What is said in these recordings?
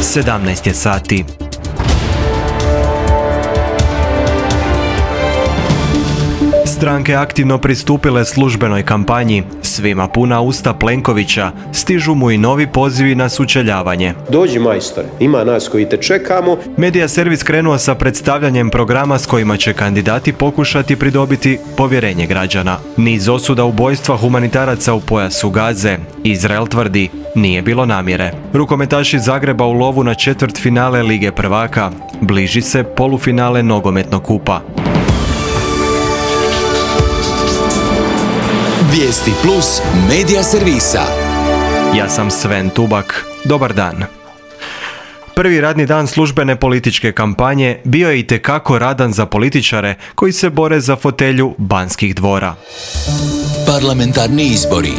17 je sati. Stranke aktivno pristupile službenoj kampanji. Svima puna usta Plenkovića, stižu mu i novi pozivi na sučeljavanje. Dođi majstore, ima nas koji te čekamo. Medija servis krenuo sa predstavljanjem programa s kojima će kandidati pokušati pridobiti povjerenje građana. Niz osuda ubojstva humanitaraca u pojasu Gaze. Izrael tvrdi, nije bilo namjere. Rukometaši Zagreba u lovu na četvrtfinale Lige prvaka. Bliži se polufinale nogometnog kupa. Vijesti plus medija servisa. Ja sam Sven Tubak. Dobar dan. Prvi radni dan službene političke kampanje bio je itekako radan za političare koji se bore za fotelju Banskih dvora. Parlamentarni izbori.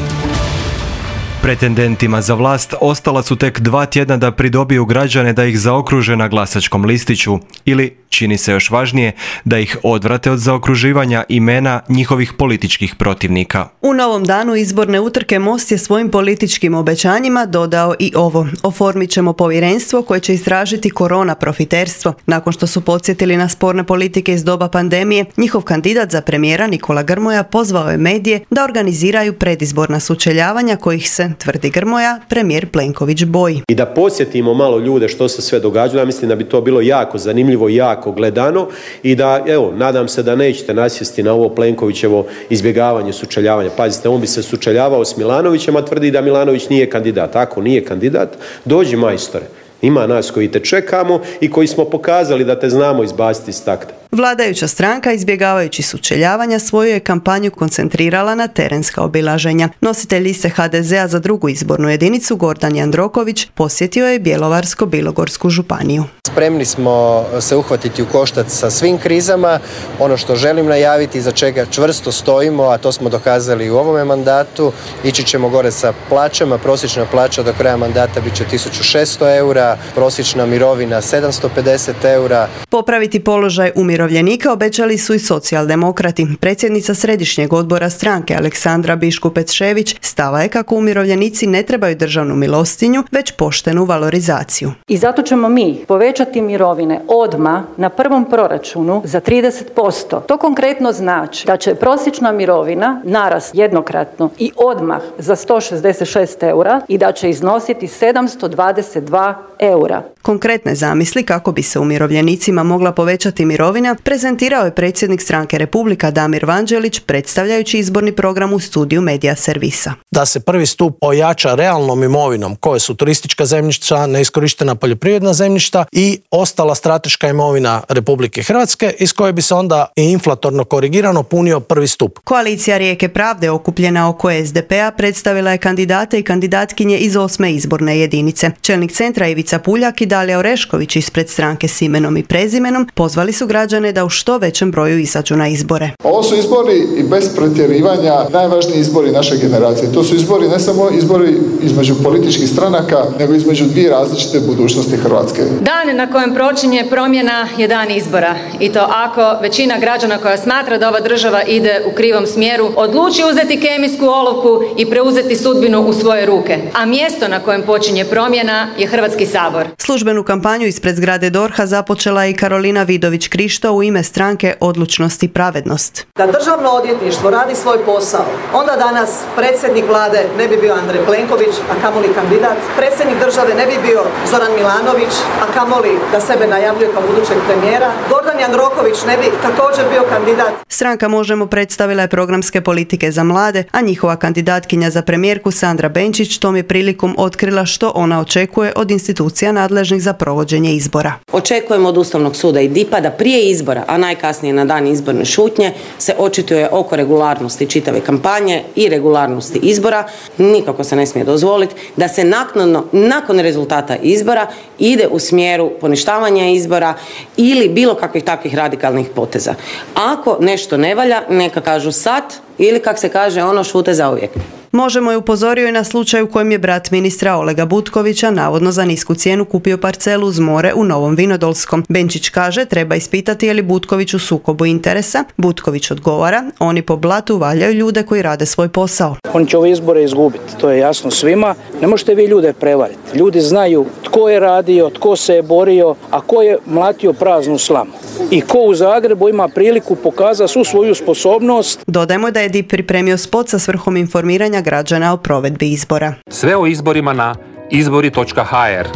Pretendentima za vlast ostala su tek 2 tjedna da pridobiju građane da ih zaokruže na glasačkom listiću ili, čini se još važnije, da ih odvrate od zaokruživanja imena njihovih političkih protivnika. U novom danu izborne utrke Most je svojim političkim obećanjima dodao i ovo. Oformit ćemo povjerenstvo koje će istražiti korona profiterstvo. Nakon što su podsjetili na sporne politike iz doba pandemije, njihov kandidat za premijera Nikola Grmoja pozvao je medije da organiziraju predizborna sučeljavanja kojih se, tvrdi Grmoja, premijer Plenković boji. I da podsjetimo malo ljude što se sve događalo. Ja mislim da bi to bilo jako zanimljivo i jako gledano i da, evo, nadam se da nećete nasjesti na ovo Plenkovićevo izbjegavanje sučeljavanja. Pazite, on bi se sučeljavao s Milanovićem, a tvrdi da Milanović nije kandidat. Ako nije kandidat, dođi majstore. Ima nas koji te čekamo i koji smo pokazali da te znamo izbaciti iz takta. Vladajuća stranka, izbjegavajući sučeljavanja, svoju je kampanju koncentrirala na terenska obilaženja. Nositelj liste HDZ-a za drugu izbornu jedinicu, Gordan Jandroković, posjetio je Bjelovarsko-bilogorsku županiju. Spremni smo se uhvatiti u koštac sa svim krizama. Ono što želim najaviti, za čega čvrsto stojimo, a to smo dokazali u ovome mandatu, ići ćemo gore sa plaćama. Prosječna plaća do kraja mandata bit će 1600 eura, prosječna mirovina 750 eura. Popraviti položaj umirovljenika obećali su i socijaldemokrati. Predsjednica Središnjeg odbora stranke Aleksandra Biškupec-Šević stava je kako umirovljenici ne trebaju državnu milostinju, već poštenu valorizaciju. I zato ćemo mi povećati mirovine odmah na prvom proračunu za 30%. To konkretno znači da će prosječna mirovina narast jednokratno i odmah za 166 eura i da će iznositi 722 eura. Konkretne zamisli kako bi se umirovljenicima mogla povećati mirovina prezentirao je predsjednik stranke Republika Damir Vanđelić predstavljajući izborni program u studiju Medija servisa. Da se prvi stup ojača realnom imovinom koje su turistička zemljišta, neiskorištena poljoprivredna zemljišta i ostala strateška imovina Republike Hrvatske iz koje bi se onda i inflatorno korigirano punio prvi stup. Koalicija Rijeke pravde okupljena oko SDP-a predstavila je kandidate i kandidatkinje iz 8. izborne jedinice. Čelnik centra Ivica Puljak i Dalija Orešković ispred stranke s imenom i prezimenom pozvali su građane da u što većem broju izađu na izbore. Ovo su izbori i bez pretjerivanja najvažniji izbori naše generacije. To su izbori ne samo izbori između političkih stranaka, nego između dvije različite budućnosti Hrvatske. Dan na kojem počinje promjena je dan izbora. I to ako većina građana koja smatra da ova država ide u krivom smjeru odluči uzeti kemijsku olovku i preuzeti sudbinu u svoje ruke. A mjesto na kojem počinje promjena je Hrvatski sabor. Službenu kampanju ispred zgrade DORH-a započela je i Karolina Vidović-Krišto u ime stranke Odlučnost i pravednost. Da državno odvjetništvo radi svoj posao, onda danas predsjednik vlade ne bi bio Andrej Plenković, a kamoli kandidat. Predsjednik države ne bi bio Zoran Milanović, a kamoli da sebe najavljuje kao budućeg premijera. Gordan Jandroković ne bi također bio kandidat. Stranka Možemo predstavila je programske politike za mlade, a njihova kandidatkinja za premijerku Sandra Benčić tom je prilikom otkrila što ona očekuje od institucija nadležnih za provođenje izbora. Očekujemo od Ustavnog suda i DIP-a da prije izbora, a najkasnije na dan izborne šutnje, se očituje oko regularnosti čitave kampanje i regularnosti izbora. Nikako se ne smije dozvoliti da se naknadno, nakon rezultata izbora, ide u smjeru poništavanja izbora ili bilo kakvih takvih radikalnih poteza. Ako nešto ne valja, neka kažu sad ili, kak se kaže, ono, šute zauvijek. Možemo je upozorio i na slučaj u kojem je brat ministra Olega Butkovića navodno za nisku cijenu kupio parcelu uz more u Novom Vinodolskom. Benčić kaže treba ispitati je li Butković u sukobu interesa. Butković odgovara, oni po blatu valjaju ljude koji rade svoj posao. On će ove izbore izgubiti, to je jasno svima. Ne možete vi ljude prevariti. Ljudi znaju tko je radio, tko se je borio, a ko je mlatio praznu slamu. I ko u Zagrebu ima priliku pokazati svu svoju sposobnost. Dodajmo da je DIP pripremio spot sa svrhom informiranja građana o provedbi izbora. Sve o izborima na izbori.hr.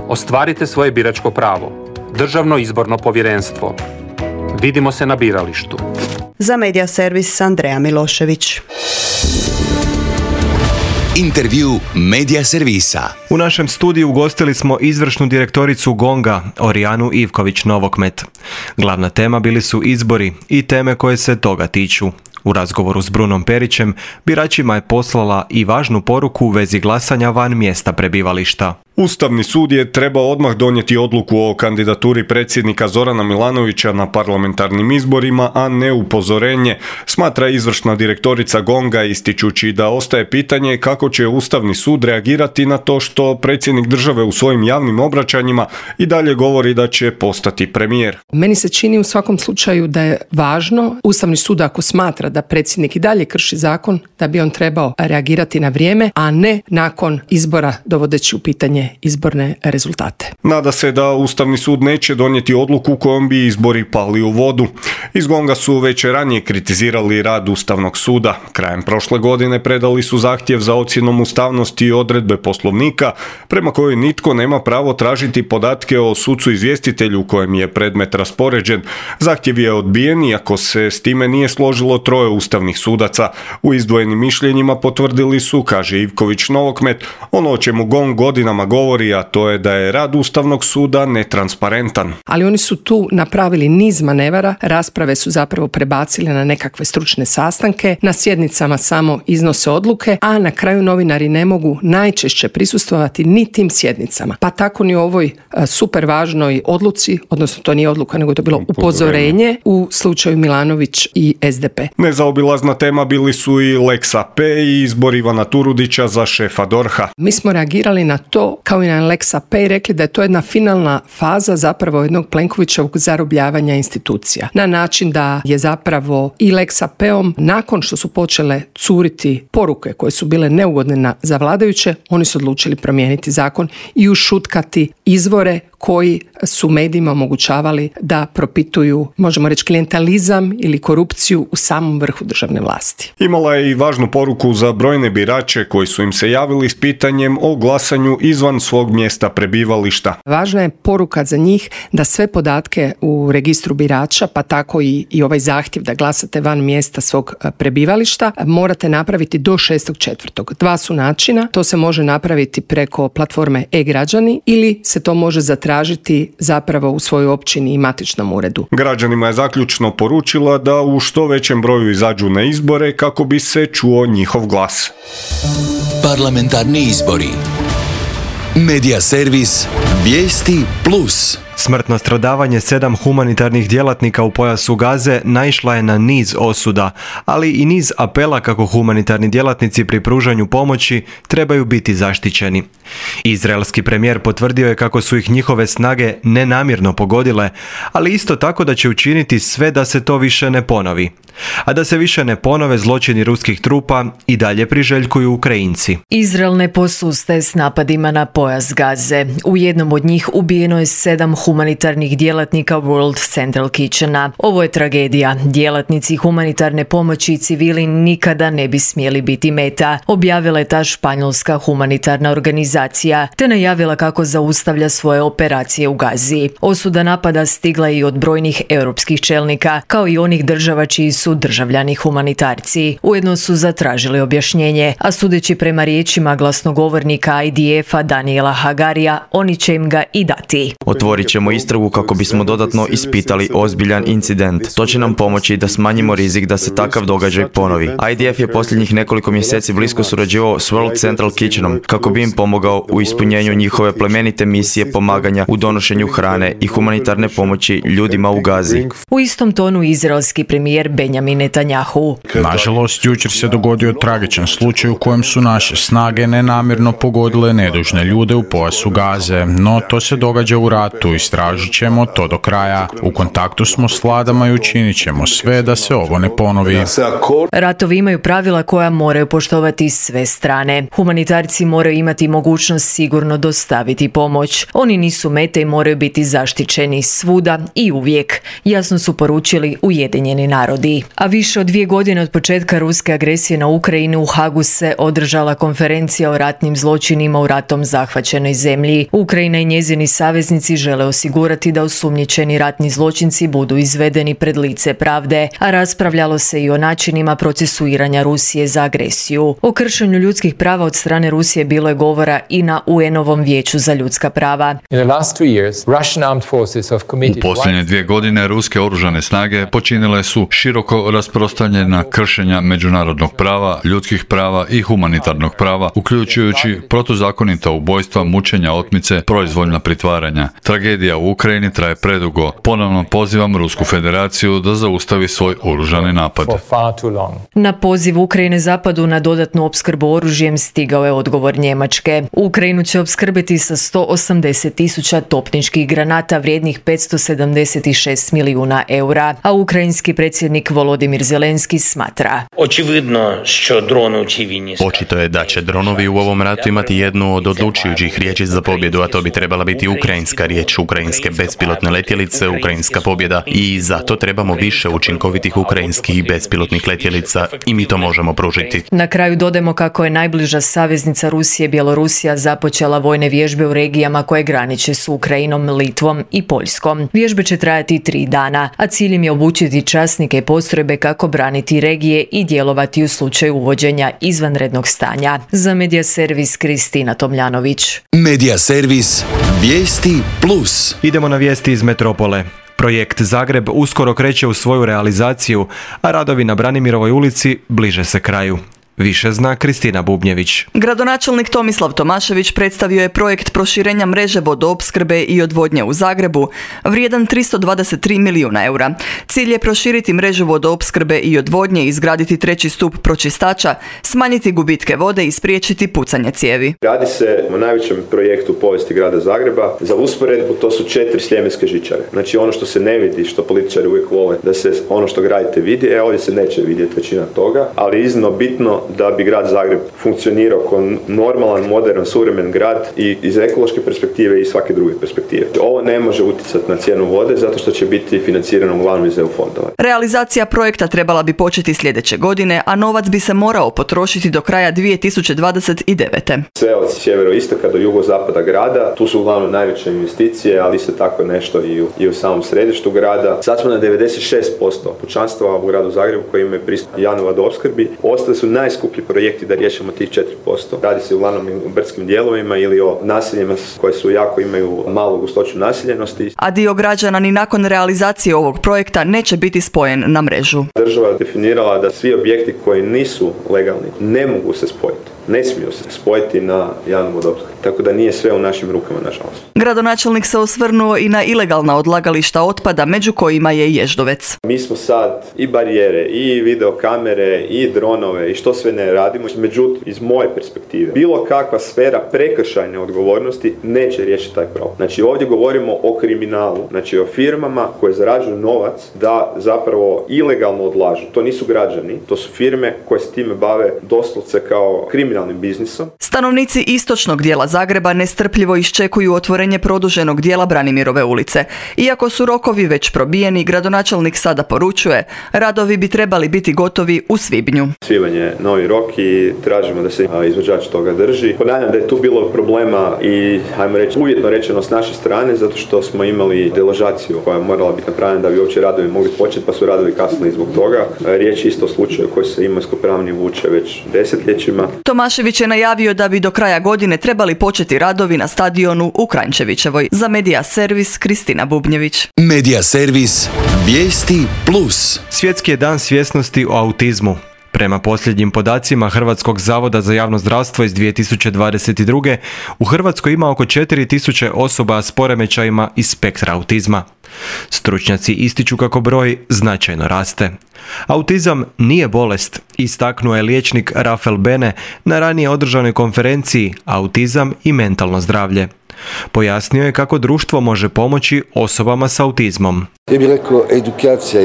Ostvarite svoje biračko pravo. Državno izborno povjerenstvo. Vidimo se na biralištu. Za Medija servis Andreja Milošević. Intervju Medija servisa. U našem studiju ugostili smo izvršnu direktoricu GONG-a, Orijanu Ivković-Novokmet. Glavna tema bili su izbori i teme koje se toga tiču. U razgovoru s Brunom Perićem, biračima je poslala i važnu poruku u vezi glasanja van mjesta prebivališta. Ustavni sud je trebao odmah donijeti odluku o kandidaturi predsjednika Zorana Milanovića na parlamentarnim izborima, a ne upozorenje, smatra izvršna direktorica GONG-a, ističući da ostaje pitanje kako će Ustavni sud reagirati na to što predsjednik države u svojim javnim obraćanjima i dalje govori da će postati premijer. Meni se čini u svakom slučaju da je važno Ustavni sud ako smatra da predsjednik i dalje krši zakon, da bi on trebao reagirati na vrijeme, a ne nakon izbora dovodeći u pitanje izborne rezultate. Nada se da Ustavni sud neće donijeti odluku kojom bi izbori pali u vodu. Iz GONG-a su već ranije kritizirali rad Ustavnog suda. Krajem prošle godine predali su zahtjev za ocjenom ustavnosti i odredbe Poslovnika, prema kojoj nitko nema pravo tražiti podatke o sucu izvjestitelju kojem je predmet raspoređen. Zahtjev je odbijen iako se s time nije složilo 3 ustavnih sudaca. U izdvojenim mišljenjima potvrdili su, kaže Ivković-Novokmet, ono o čemu GONG godinama govori, a to je da je rad Ustavnog suda netransparentan. Ali oni su tu napravili niz manevara, rasprave su zapravo prebacili na nekakve stručne sastanke, na sjednicama samo iznose odluke, a na kraju novinari ne mogu najčešće prisustvovati ni tim sjednicama. Pa tako ni u ovoj super važnoj odluci, odnosno to nije odluka, nego to bilo upozorenje u slučaju Milanović i SDP. Nezaobilazna tema bili su i Lex AP i izbor Ivana Turudića za šefa DORH-a. Mi smo reagirali na to kao i na Lex AP i rekli da je to jedna finalna faza zapravo jednog Plenkovićevog zarobljavanja institucija. Na način da je zapravo i Lex AP-om, nakon što su počele curiti poruke koje su bile neugodne za vladajuće, oni su odlučili promijeniti zakon i ušutkati izvore koji su medijima omogućavali da propituju, možemo reći, klijentalizam ili korupciju u samom vrhu državne vlasti. Imala je i važnu poruku za brojne birače koji su im se javili s pitanjem o glasanju izvan svog mjesta prebivališta. Važna je poruka za njih da sve podatke u registru birača, pa tako i ovaj zahtjev da glasate van mjesta svog prebivališta, morate napraviti do 6.4. 2 su načina, to se može napraviti preko platforme e-građani ili se to može zatražiti zapravo u svojoj općini i matičnom uredu. Građanima je zaključno poručila da u što većem broju izađu na izbore kako bi se čuo njihov glas. Parlamentarni izbori. Medija servis Vijesti Plus. Smrtno stradavanje 7 humanitarnih djelatnika u pojasu Gaze naišla je na niz osuda, ali i niz apela kako humanitarni djelatnici pri pružanju pomoći trebaju biti zaštićeni. Izraelski premijer potvrdio je kako su ih njihove snage nenamjerno pogodile, ali isto tako da će učiniti sve da se to više ne ponovi. A da se više ne ponove zločini ruskih trupa i dalje priželjkuju Ukrajinci. Izrael ne posustaje s napadima na pojas Gaze. U jednom od njih ubijeno je 7 humanitarnih djelatnika World Central Kitchena. Ovo je tragedija. Djelatnici humanitarne pomoći i civili nikada ne bi smjeli biti meta, objavila je ta španjolska humanitarna organizacija, te najavila kako zaustavlja svoje operacije u Gazi. Osuda napada stigla je i od brojnih europskih čelnika, kao i onih država čiji su državljani humanitarci. Ujedno su zatražili objašnjenje, a sudeći prema riječima glasnogovornika IDF-a Daniela Hagarija, oni će im ga i dati. Otvorit ćemo istragu kako bismo dodatno ispitali ozbiljan incident. To će nam pomoći da smanjimo rizik da se takav događaj ponovi. IDF je posljednjih nekoliko mjeseci blisko surađivao s World Central Kitchenom kako bi im pomogao u ispunjenju njihove plemenite misije pomaganja u donošenju hrane i humanitarne pomoći ljudima u Gazi. U istom tonu izraelski premijer Benjamin Netanjahu. Nažalost, jučer se dogodio tragičan slučaj u kojem su naše snage nenamjerno pogodile nedužne ljude u pojasu Gaze, no to se događa u ratu, istražit ćemo to do kraja. U kontaktu smo s vladama i učinit ćemo sve da se ovo ne ponovi. Ratovi imaju pravila koja moraju poštovati sve strane. Humanitarci moraju imati mogućnost sigurno dostaviti pomoć. Oni nisu mete i moraju biti zaštićeni svuda i uvijek, jasno su poručili Ujedinjeni narodi. A više od 2 godine od početka ruske agresije na Ukrajinu u Hagu se održala konferencija o ratnim zločinima u ratom zahvaćenoj zemlji. Ukrajina i njezini saveznici žele osigurati da osumnjičeni ratni zločinci budu izvedeni pred lice pravde, a raspravljalo se i o načinima procesuiranja Rusije za agresiju. O kršenju ljudskih prava od strane Rusije bilo je govora i na UN-ovom vijeću za ljudska prava. U posljednje 2 godine ruske oružane snage počinile su široko rasprostranjena kršenja međunarodnog prava, ljudskih prava i humanitarnog prava, uključujući protuzakonita ubojstva, mučenja, otmice, proizvoljna pritvaranja. Tragedija u Ukrajini traje predugo. Ponovno pozivam Rusku federaciju da zaustavi svoj oružani napad. Na poziv Ukrajine zapadu na dodatnu opskrbu oružjem stigao je odgovor Njemačke. Ukrajinu će opskrbiti sa 180.000 topničkih granata vrijednih 576 milijuna eura, a ukrajinski predsjednik Volodimir Zelenski smatra. Očito je da će dronovi u ovom ratu imati jednu od odlučujućih riječi za pobjedu, a to bi trebala biti ukrajinska riječ, ukrajinske bespilotne letjelice, ukrajinska pobjeda, i zato trebamo više učinkovitih ukrajinskih bespilotnih letjelica i mi to možemo pružiti. Na kraju dodajemo kako je najbliža saveznica Rusije, Bjelorusija, započela vojne vježbe u regijama koje graniče s Ukrajinom, Litvom i Poljskom. Vježbe će trajati 3 dana, a cilj im je obučiti časnike i postrojbe kako braniti regije i djelovati u slučaju uvođenja izvanrednog stanja. Za Medija servis Kristina Tomljanović. Medija servis Vijesti Plus. Idemo na vijesti iz metropole. Projekt Zagreb uskoro kreće u svoju realizaciju, a radovi na Branimirovoj ulici bliže se kraju. Više zna Kristina Bubnjević. Gradonačelnik Tomislav Tomašević predstavio je projekt proširenja mreže vodoopskrbe i odvodnje u Zagrebu, vrijedan 323 milijuna eura. Cilj je proširiti mrežu vodoopskrbe i odvodnje, izgraditi 3. stup pročistača, smanjiti gubitke vode i spriječiti pucanje cijevi. Radi se o najvećem projektu u povijesti grada Zagreba. Za usporedbu to su 4 sljemenske žičare. Znači ono što se ne vidi, što političari uvijek vole, da se ono što gradite vidi, ovdje se neće vidjeti većina toga, ali iznimno bitno da bi grad Zagreb funkcionirao kao normalan, modern, suvremen grad i iz ekološke perspektive i svake druge perspektive. Ovo ne može utjecati na cijenu vode zato što će biti financirano uglavnom iz EU fondova. Realizacija projekta trebala bi početi sljedeće godine, a novac bi se morao potrošiti do kraja 2029. Sve od sjeveroistoka do jugozapada grada, tu su uglavnom najveće investicije, ali isto tako nešto i u samom središtu grada. Sad smo na 96% pučanstva u gradu Zagrebu koji imaju pristup javnoj vodoopskrbi. Ostali su najskuplji projekti da riješimo tih 4%. Radi se uglavnom o brdskim dijelovima ili o naseljima koje su imaju malu gustoću naseljenosti. A dio građana ni nakon realizacije ovog projekta neće biti spojen na mrežu. Država je definirala da svi objekti koji nisu legalni ne mogu se spojiti. Ne smiju se spojiti na javnu vodoopskrbu. Tako da nije sve u našim rukama, nažalost. Gradonačelnik se osvrnuo i na ilegalna odlagališta otpada, među kojima je i Ježdovec. Mi smo sad i barijere, i videokamere, i dronove, i što sve ne radimo. Međutim, iz moje perspektive, bilo kakva sfera prekršajne odgovornosti neće riješiti taj problem. Znači, ovdje govorimo o kriminalu, znači o firmama koje zarađuju novac da zapravo ilegalno odlažu. To nisu građani, to su firme koje se time bave doslovce kao kriminalnim biznisom. Stanovnici istočnog dijela Zagreba nestrpljivo iščekuju otvorenje produženog dijela Branimirove ulice. Iako su rokovi već probijeni, gradonačelnik sada poručuje, radovi bi trebali biti gotovi u svibnju. Svibanj je novi rok i tražimo da se izvođač toga drži. Ponavljam da je tu bilo problema i, hajmo reći, uvjetno rečeno s naše strane, zato što smo imali deložaciju koja je morala biti napravljena da bi uopće radovi mogli početi, pa su radovi kasnili zbog toga. Riječ je isto o slučaju koji se imovinsko-pravni vuče već desetljećima. Tomašević je najavio da bi do kraja godine trebali početi radovi na stadionu u Kranjčevićevoj. Za Medija servis Kristina Bubnjević. Medija servis Vijesti Plus. Svjetski je dan svjesnosti o autizmu. Prema posljednjim podacima Hrvatskog zavoda za javno zdravstvo iz 2022. u Hrvatskoj ima oko 4000 osoba s poremećajima iz spektra autizma. Stručnjaci ističu kako broj značajno raste. Autizam nije bolest, istaknuo je liječnik Rafael Bene na ranije održanoj konferenciji Autizam i mentalno zdravlje. Pojasnio je kako društvo može pomoći osobama s autizmom. Ja bih rekao edukacija,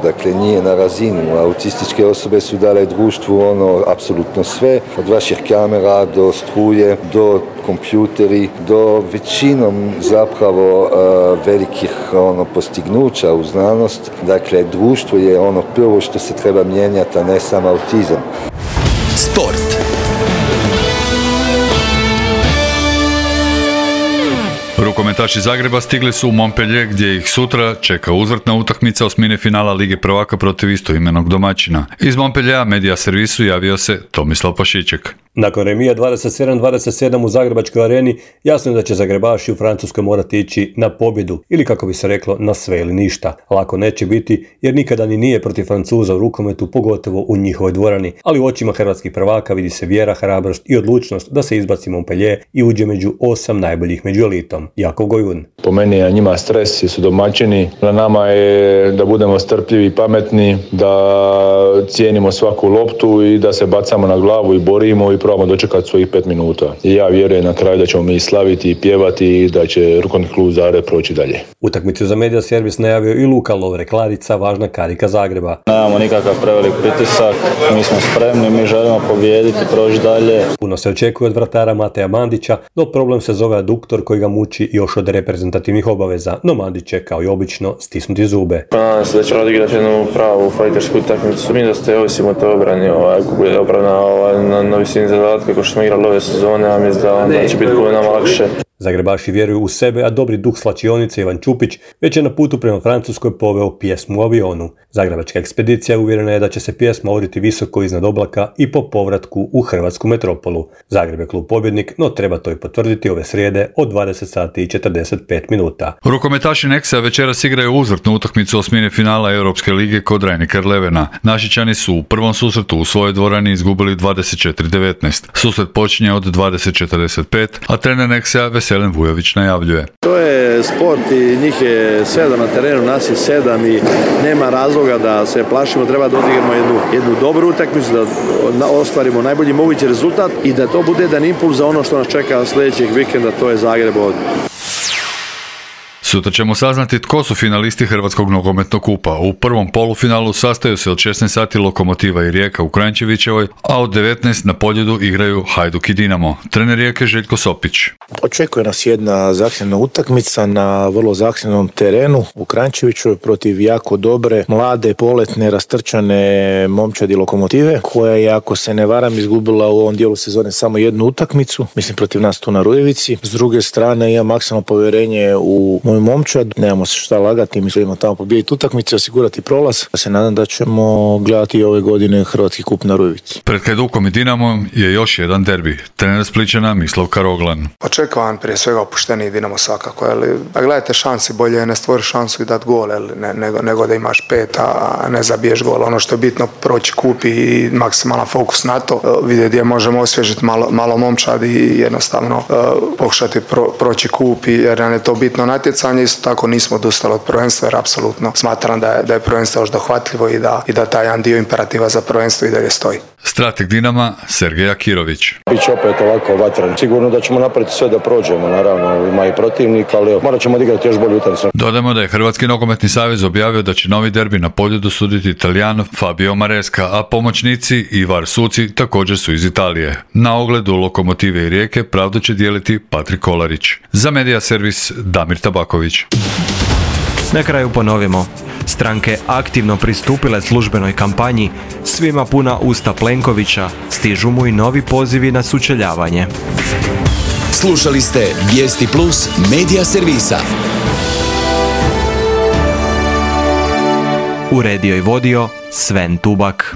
dakle nije na razini. Autističke osobe su dale društvu apsolutno sve, od vaših kamera do struje, do kompjuteri, do većinom zapravo velikih postignuća u znanost. Dakle, društvo je prvo što se treba mijenjati, a ne samo autizam. Sport. Rukometaši Zagreba stigli su u Montpellier gdje ih sutra čeka uzvratna utakmica osmine finala Lige prvaka protiv istoimenog domaćina. Iz Montpelliera Medija servisu javio se Tomislav Pašiček. Nakon remija 27-27 u Zagrebačkoj areni, jasno je da će Zagrebaši u Francuskoj morati ići na pobjedu, ili kako bi se reklo na sve ili ništa. Lako neće biti jer nikada ni nije protiv Francuza u rukometu, pogotovo u njihovoj dvorani, ali u očima hrvatskih prvaka vidi se vjera, hrabrost i odlučnost da se izbaci Montpellier i uđe među 8 najboljih među elitom. Jakov Gojun. Po meni je njima stres jer su domaćini, na nama je da budemo strpljivi i pametni, da cijenimo svaku loptu i da se bacamo na glavu i borimo i probamo dočekati svojih 5 minuta. I ja vjerujem na kraju da ćemo mi slaviti i pjevati i da će rukometni klub Zagreb proći dalje. Utakmicu za Medija servis najavio i Luka Lovre-Klarica, važna karika Zagreba. Nemamo nikakav prevelik pritisak, mi smo spremni, mi želimo pobijediti, proći dalje. Puno se očekuje od vratara Mateja Mandića, no problem se zove aduktor koji ga muči još od reprezentativnih obaveza, no Mandić će kao i obično stisnuti zube. Nadam se da će odigrati jednu pravu fajtersku utakmicu. Mi da ste ovisimo o toj obrani, ako bude obrana na visini zadatka kako što smo igrali ove sezone, a mislim da onda će biti puno nama lakše. Zagrebaši vjeruju u sebe, a dobri duh slačionice Ivan Čupić već je na putu prema Francuskoj poveo pjesmu u avionu. Zagrebačka ekspedicija uvjerena je da će se pjesma oriti visoko iznad oblaka i po povratku u hrvatsku metropolu. Zagreb je klub pobjednik, no treba to i potvrditi ove srijede od 20 sati i 45 minuta. Rukometaši Nexa večeras igraju uzvratnu utakmicu osmine finala Europske lige kod Rhein-Neckar-Levena. Našičani su u prvom susretu u svojoj dvorani izgubili 24-19. Susret počinje od 20:45, a trener Nexa Veselin Vujović najavljuje. To je sport i njih je 7 na terenu, nas je 7 i nema razloga da se plašimo, treba da odigramo jednu dobru utakmicu, da ostvarimo najbolji mogući rezultat i da to bude jedan impuls za ono što nas čeka sljedećeg vikenda, to je Zagreb ovdje. Sutra ćemo saznati tko su finalisti Hrvatskog nogometnog kupa. U prvom polufinalu sastaju se od 16 sati Lokomotiva i Rijeka u Kranjčevićevoj, a od 19 na Poljudu igraju Hajduk i Dinamo. Trener Rijeke Željko Sopić. Očekuje nas jedna zahtjevna utakmica na vrlo zahtjevnom terenu u Kranjčeviću protiv jako dobre, mlade, poletne, rastrčane momčadi Lokomotive, koja je, ako se ne varam, izgubila u ovom dijelu sezone samo jednu utakmicu, mislim protiv nas tu na Rujevici. S druge strane, imam maksimalno povjerenje u moju momčad, nemamo se šta lagati, mislimo tamo pobijediti utakmice, osigurati prolaz. Ja se nadam da ćemo gledati ove godine Hrvatski kup na Rujevici. Pred Hajdukom i Dinamom je još jedan derbi. Trener Splićana Mislav Karoglan. Očekujem prije svega opušteniji Dinamo svakako, ali da gledajte šansi, bolje je ne stvoriš šansu i dati gol, nego da imaš 5, a ne zabiješ gol. Ono što je bitno, proći kup i maksimalan fokus na to, vidjeti gdje možemo osvježiti malo momčad i jednostavno pokušati proći kup, jer nam je to bitno natjecanje. Isto tako nismo odustali od prvenstva, jer apsolutno smatram da je prvenstvo još dohvatljivo i da taj jedan dio imperativa za prvenstvo i dalje stoji. Strateg Dinama Sergej Akirović. Biće opet ovako vatran. Sigurno da ćemo napraviti sve da prođemo, naravno ima i protivnik, ali morat ćemo odigrati još bolju utakmicu. Dodajmo da je Hrvatski nogometni savez objavio da će novi derbi na Poljudu suditi Italijan Fabio Maresca, a pomoćnici i VAR suci također su iz Italije. Na ogledu Lokomotive i Rijeke pravdu će dijeliti Patrik Kolarić. Za Medija servis Damir Tabaković. Na kraju ponovimo. Stranke aktivno pristupile službenoj kampanji, svima puna usta Plenkovića, stižu mu i novi pozivi na sučeljavanje. Slušali ste Vijesti Plus Medija servisa. Uredio i vodio Sven Tubak.